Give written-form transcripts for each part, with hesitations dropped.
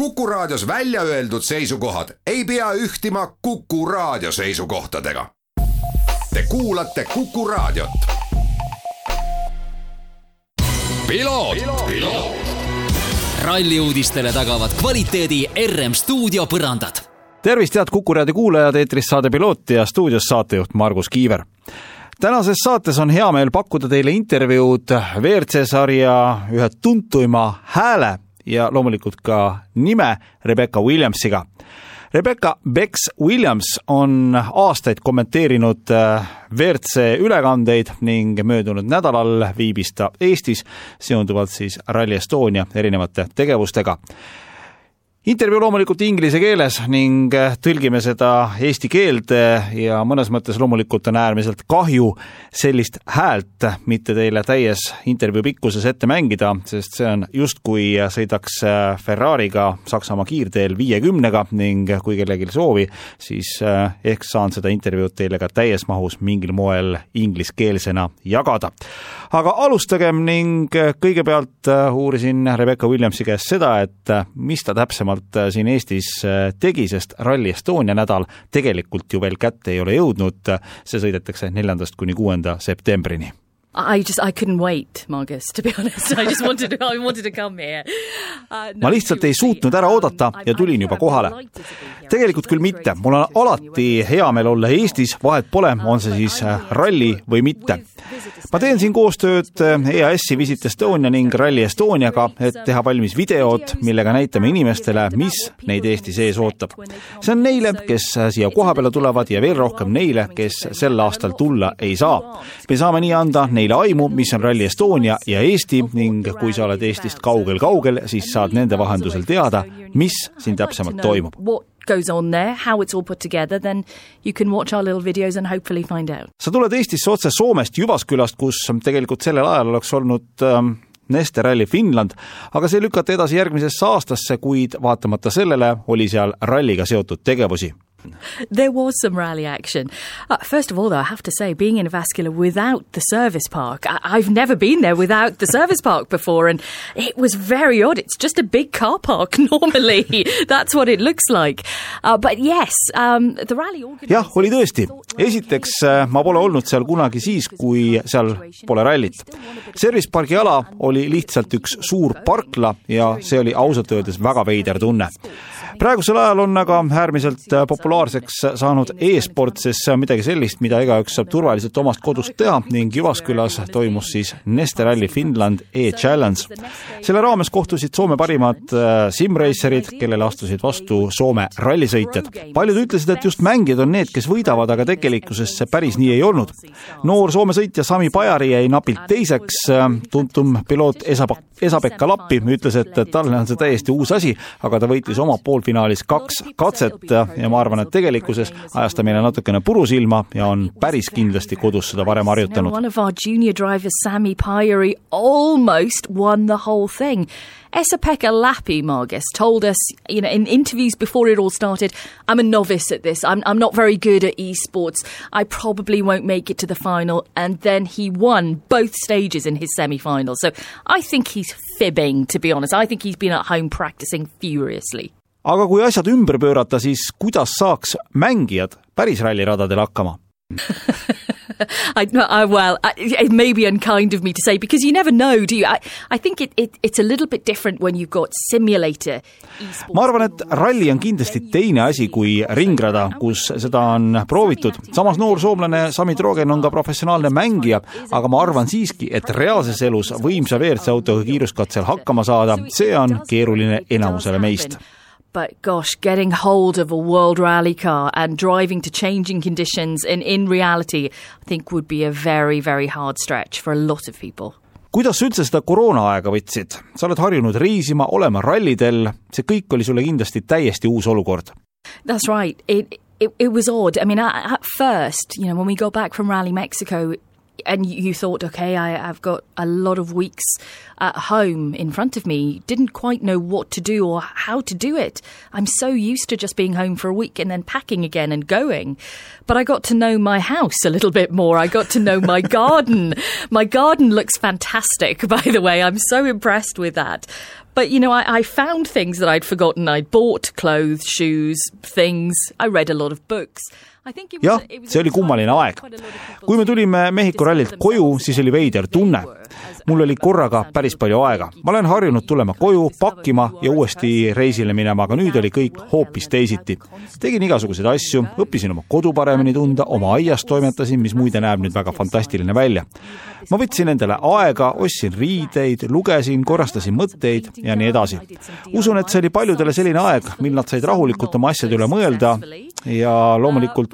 Kuku Raadios välja öeldud seisukohad ei pea ühtima Kuku Raadio seisukohtadega. Te kuulate Kuku Raadiot. Ralliuudistele tagavad kvaliteedi RM Stuudio põrandad. Tervist, head Kuku Raadio kuulajad, eetris saade Piloot ja stuudios saatejuht Margus Kiiver. Tänases saates on hea meel pakkuda teile intervjuud WRC-sarja ühe tuntuima hääle ja loomulikult ka nime Rebecca Williamsiga. Rebecca Bex Williams on aastaid kommenteerinud WRC ülekandeid ning möödunud nädalal viibis ta Eestis seonduvalt siis Rally Estonia erinevate tegevustega. Intervjuu loomulikult inglise keeles ning tõlgime seda eesti keelde ja mõnes mõttes loomulikult on äärmiselt kahju sellist häält mitte teile täies intervjuu pikkuses ette mängida, sest see on just kui sõidaks Ferrariga Saksamaa kiirteel 50-ga ning kui kellelgi soovi, siis ehk saan seda intervjuud teile ka täies mahus mingil moel ingliskeelsena jagada. Aga alustagem ning kõigepealt uurisin Rebecca Williamsi käest seda, et mis ta täpsemalt siin Eestis tegi, sest Rally Estonia nädal tegelikult ju veel kätte ei ole jõudnud. See sõidetakse 4. kuni 6. septembrini. I couldn't wait, Margus, to be honest. I wanted to come here. Ma lihtsalt ei suutnud ära oodata ja tulin juba kohale. Tegelikult küll mitte. Mul on alati hea meel olla Eestis, vahet pole, on see siis ralli või mitte. Ma teen siin koostööd EAS-i Visit Estonia ning Rally Estoniaga, et teha valmis videod, millega näitame inimestele, mis neid Eesti sees ootab. See on neile, kes siia koha peale tulevad ja veel rohkem neile, kes sel aastal tulla ei saa. Me saame nii anda neile aimu, mis on Rally Estonia ja Eesti ning kui sa oled Eestist kaugel, siis saad nende vahendusel teada, mis siin täpsemalt toimub. Goes on there, how it's all put together, then you can watch our little videos and hopefully find out. Sa tuled Eestisse otse Soomest Jyvaskyläst, kus tegelikult sellel ajal oleks olnud Neste Rally Finland, aga see lükati edasi järgmisesse aastasse, kuid vaatamata sellele oli seal ralliga seotud tegevusi. There was some rally action. First of all, though, I have to say, being in Jyvaskyla without the service park, I've never been there without the service park before, and it was very odd. It's just a big car park normally. That's what it looks like. But yes, the rally organizers... Jah, oli tõesti. Esiteks, ma pole olnud seal kunagi siis, kui seal pole rallit. Service parki ala oli lihtsalt üks suur parkla ja see oli ausalt öeldes väga veider tunne. Praegusel ajal on aga äärmiselt populaarseks saanud e-sport, sest see on midagi sellist, mida igaüks saab turvaliselt omast kodust teha ning Jyvaskylas toimus siis Neste Rally Finland e-challenge. Selle raames kohtusid Soome parimad simracerid, kellele astusid vastu Soome rallisõitjad. Paljud ütlesid, et just mängijad on need, kes võidavad, aga tegelikkuses see päris nii ei olnud. Noor Soome sõitja Sami Pajari jäi napilt teiseks, tuntum piloot Esa-Pekka Lappi ütles, et talle on see täiesti uus asi, aga ta võitis oma poolfinaalis 2 katset ja ma arvan, et tegelikkuses ajas ta meile natukene purusilma ja on päris kindlasti kodus seda varem harjutanud. One of our junior drivers, Sami Pajari, almost won the whole thing. Esa-Pekka Lappi, Margus, told us, in interviews before it all started, I'm a novice at this. I'm not very good at esports. I probably won't make it to the final. And then he won both stages in his semi-final. So I think he's fibbing, to be honest. I think he's been at home practicing furiously. Aga kui asjad ümber pöörata, siis kuidas saaks mängijad päris ralliradadel hakkama? It may be unkind of me to say, because you never know, do you? I think it's a little bit different when you've got simulator esports. Ma arvan, et ralli on kindlasti teine asi kui ringrada, kus seda on proovitud. Samas noor soomlane Sami Trogen on ka professionaalne mängija, aga ma arvan siiski, et reaalses elus võimsa WRC-autoga kiiruskatsel hakkama saada, see on keeruline enamusele meist. But gosh, getting hold of a world rally car and driving to changing conditions in reality, I think would be a very, very hard stretch for a lot of people. Kuidas üldse seda koroona-aega võtsid? Sa oled harjunud reisima, olema rallidel. See kõik oli sulle kindlasti täiesti uus olukord. That's right. It was odd. I mean, at first, when we got back from Rally Mexico, and you thought, okay, I've got a lot of weeks at home in front of me. Didn't quite know what to do or how to do it. I'm so used to just being home for a week and then packing again and going. But I got to know my house a little bit more. I got to know my garden. My garden looks fantastic, by the way. I'm so impressed with that. But, I found things that I'd forgotten. I'd bought clothes, shoes, things. I read a lot of books. Jah, see oli kummaline aeg. Kui me tulime Mehhiko rallilt koju, siis oli veider tunne. Mul oli korraga päris palju aega. Ma olen harjunud tulema koju, pakkima ja uuesti reisile minema, aga nüüd oli kõik hoopis teisiti. Tegin igasuguseid asju, õppisin oma kodu paremini tunda, oma aias toimetasin, mis muide näeb nüüd väga fantastiline välja. Ma võtsin endale aega, ostsin riideid, lugesin, korrastasin mõtteid ja nii edasi. Usun, et see oli paljudele selline aeg, mil nad said rahulikult oma asjade üle mõelda ja loomulikult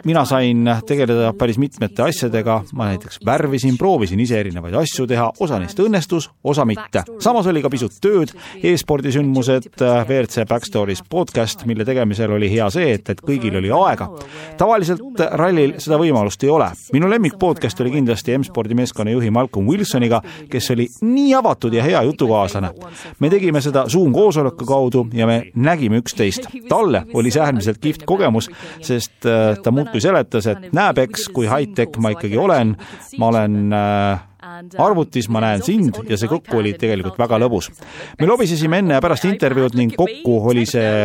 mina sain tegeleda päris mitmete asjadega. Ma näiteks värvisin, proovisin ise erinevaid asju teha, osa neist õnnestus, osa mitte. Samas oli ka pisut tööd, e-spordisündmused, WRC Backstories podcast, mille tegemisel oli hea see, et kõigil oli aega. Tavaliselt rallil seda võimalust ei ole. Minu lemmik podcast oli kindlasti M-spordi meeskonna juhi Malcolm Wilsoniga, kes oli nii avatud ja hea jutukaaslane. Me tegime seda Zoom koosoleku kaudu ja me nägime üksteist. Talle oli see äärmiselt kihvt kogemus, sest ta muudkui seletas, et näeb eks, kui high-tech ma ikkagi olen. Ma olen arvutis, ma näen sind ja see kokku oli tegelikult väga lõbus. Me lobisesime enne ja pärast intervjuud ning kokku oli see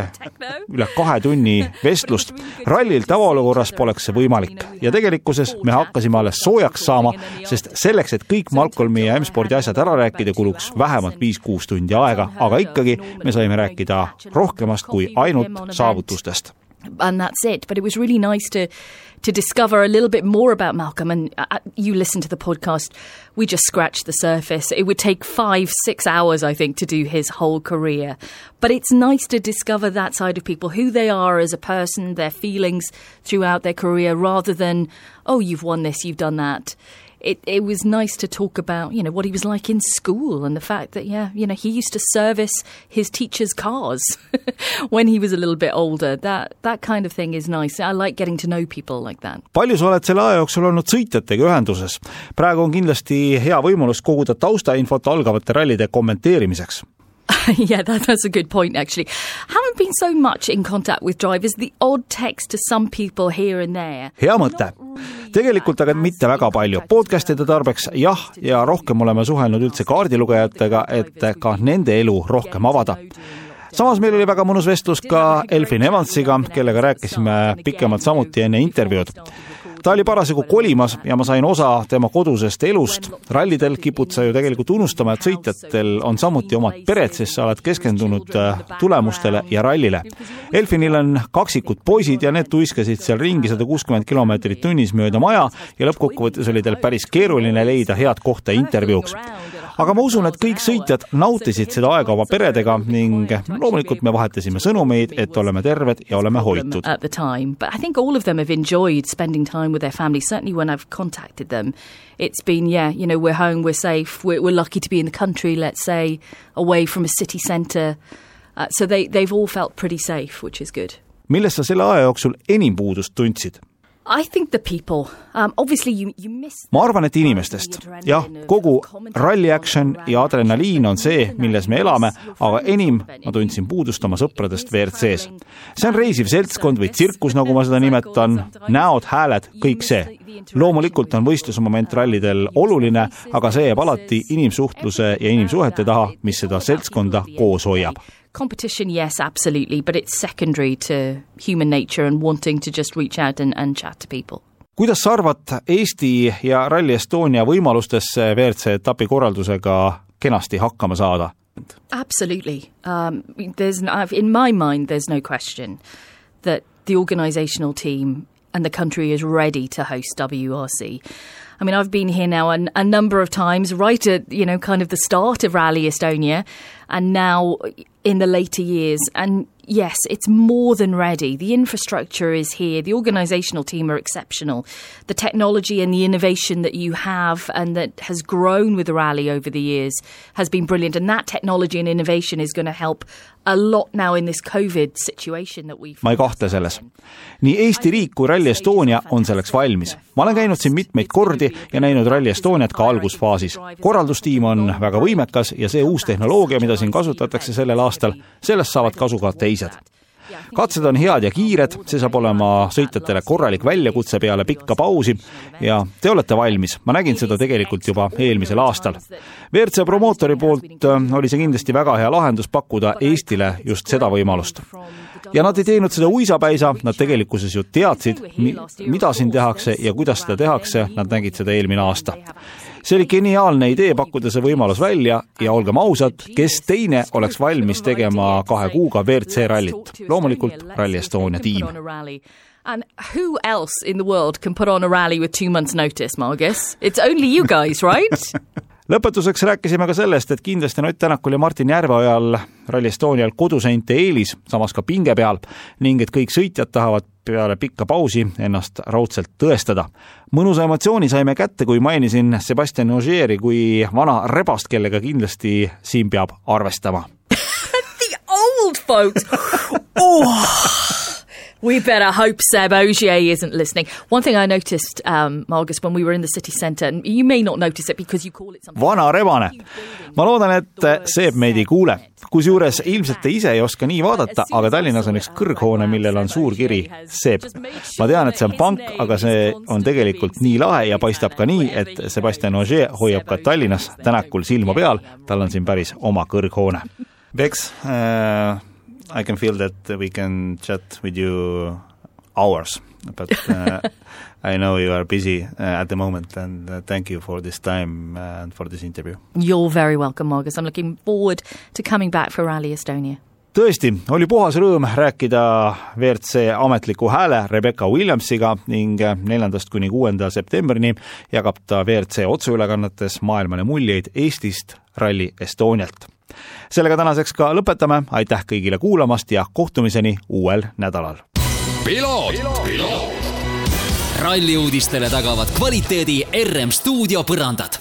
üle 2 tunni vestlust. Rallil tavaolukorras poleks see võimalik ja tegelikkuses me hakkasime alles soojaks saama, sest selleks, et kõik Malcolmi ja M-spordi asjad ära rääkida, kuluks vähemalt 5-6 tundi aega, aga ikkagi me saime rääkida rohkemast kui ainult saavutustest. And that's it. But it was really nice to discover a little bit more about Malcolm. And you listen to the podcast, we just scratched the surface. It would take 5-6 hours, I think, to do his whole career. But it's nice to discover that side of people, who they are as a person, their feelings throughout their career, rather than, oh, you've won this, you've done that. It was nice to talk about, what he was like in school and the fact that, he used to service his teacher's cars when he was a little bit older. That kind of thing is nice. I like getting to know people like that. Palju sa oled selle aja jooksul olnud sõitjatega ühenduses? Praegu on kindlasti hea võimalus koguda taustainfot algavate rallide kommenteerimiseks. Yeah, that's a good point, actually. Haven't been so much in contact with drivers. The odd text to some people here and there. Hea mõte. Tegelikult aga mitte väga palju. Podcastide tarbeks jah, ja rohkem oleme suhelnud üldse kaardilugejatega, et ka nende elu rohkem avada. Samas meil oli väga mõnus vestlus ka Elfyn Evansiga, kellega rääkisime pikemalt samuti enne intervjuud. Ta oli parasjagu kolimas ja ma sain osa tema kodusest elust. Rallidel kipud sa ju tegelikult unustama, et sõitjatel on samuti omad pered, sest sa oled keskendunud tulemustele ja rallile. Elfynil on kaksikud poisid ja need tuiskasid seal ringi 160 kilomeetrit tunnis mööda maja ja lõppkokkuvõttes oli teil päris keeruline leida head kohta intervjuuks. Aga ma usun, et kõik sõitjad nautisid seda aega oma peredega ning loomulikult me vahetasime sõnumeid, et oleme terved ja oleme hoitud. At the time, but I think all of them have enjoyed spending time with their family. Certainly when I've contacted them, it's been, we're home, we're safe, we're lucky to be in the country, let's say, away from a city centre. So they've all felt pretty safe, which is good. Millest sa selle aja jooksul enim puudust tundsid? I think the people. Obviously you miss. Ma arvan, et inimestest. Jah, kogu rally action ja adrenaliin on see, milles me elame, aga enim ma tundsin puudust oma sõpradest WRCs. See on reisiv seltskond või tsirkus, nagu ma seda nimetan, näod, hääled, kõik see. Loomulikult on võistlusmoment rallidel oluline, aga see jääb alati inimsuhtluse ja inimsuhete taha, mis seda seltskonda koos hoiab. Competition, yes, absolutely, but it's secondary to human nature and wanting to just reach out and chat to people. Kuidas sa arvad Eesti ja Rally Estonia võimalustesse WRC etapi korraldusega kenasti hakkama saada? Absolutely. In my mind, there's no question that the organizational team and the country is ready to host WRC. I mean, I've been here now a number of times, right at, kind of the start of Rally Estonia, and now in the later years. And yes, it's more than ready. The infrastructure is here. The organizational team are exceptional. The technology and the innovation that you have and that has grown with the rally over the years has been brilliant. And that technology and innovation is going to help a lot now in this COVID situation that we've... Ma ei kahtle selles. Nii Eesti riik kui Rally Estonia on selleks valmis. Ma olen käinud siin mitmeid kordi ja näinud Rally Estoniat ka algusfaasis. Korraldustiim on väga võimekas ja see uus tehnoloogia, mida siin kasutatakse sellel aastal, sellest saavad kasu ka teised. Katsed on head ja kiired, see saab olema sõitjatele korralik väljakutse peale pikka pausi ja te olete valmis. Ma nägin seda tegelikult juba eelmisel aastal. WRC promootori poolt oli see kindlasti väga hea lahendus pakkuda Eestile just seda võimalust. Ja nad ei teinud seda uisapäisa, nad tegelikkuses ju teadsid, mida siin tehakse ja kuidas seda tehakse, nad nägid seda eelmine aasta. See oli geniaalne idee pakkuda see võimalus välja ja olgem ausad, kes teine oleks valmis tegema 2 kuuga WRC rallit. Loomulikult Rally Estonia tiim. And who else in the world can put on a rally with 2 months notice, Margus? It's only you guys, right? Lõpetuseks rääkisime ka sellest, et kindlasti Ott Tänakul ja Martin Järveojal Rally Estonial koduseinte eelis, samas ka pinge peal, ning et kõik sõitjad tahavad peale pikka pausi ennast raudselt tõestada. Mõnusa emotsiooni saime kätte, kui mainisin Sebastian Ogieri kui vana rebast, kellega kindlasti siin peab arvestama. The old folks! We better hope Seb Ogier isn't listening. One thing I noticed, Margus, when we were in the city centre, and you may not notice it because you call it something... Vana rebane. Ma loodan, et Seb meid ei kuule. Kusjuures ilmselt te ise ei oska nii vaadata, aga Tallinnas on üks kõrghoone, millel on suur kiri Seb. Ma tean, et see on pank, aga see on tegelikult nii lahe ja paistab ka nii, et Sebastian Ogier hoiab ka Tallinnas Tänakul silma peal. Tal on siin päris oma kõrghoone. Bex, I can feel that we can chat with you hours, but I know you are busy at the moment, and thank you for this time and for this interview. You're very welcome, Margus. I'm looking forward to coming back for Rally Estonia. Tõesti, oli puhas rõõm rääkida WRC ametliku hääle Rebecca Williamsiga ning 4. kuni 6. septembrini jagab ta WRC otseülekannetes maailmale muljeid Eestist Rally Estonialt. Sellega tänaseks ka lõpetame. Aitäh kõigile kuulamast ja kohtumiseni uuel nädalal. Ralli uudistele tagavad kvaliteedi RM Stuudio põrandad.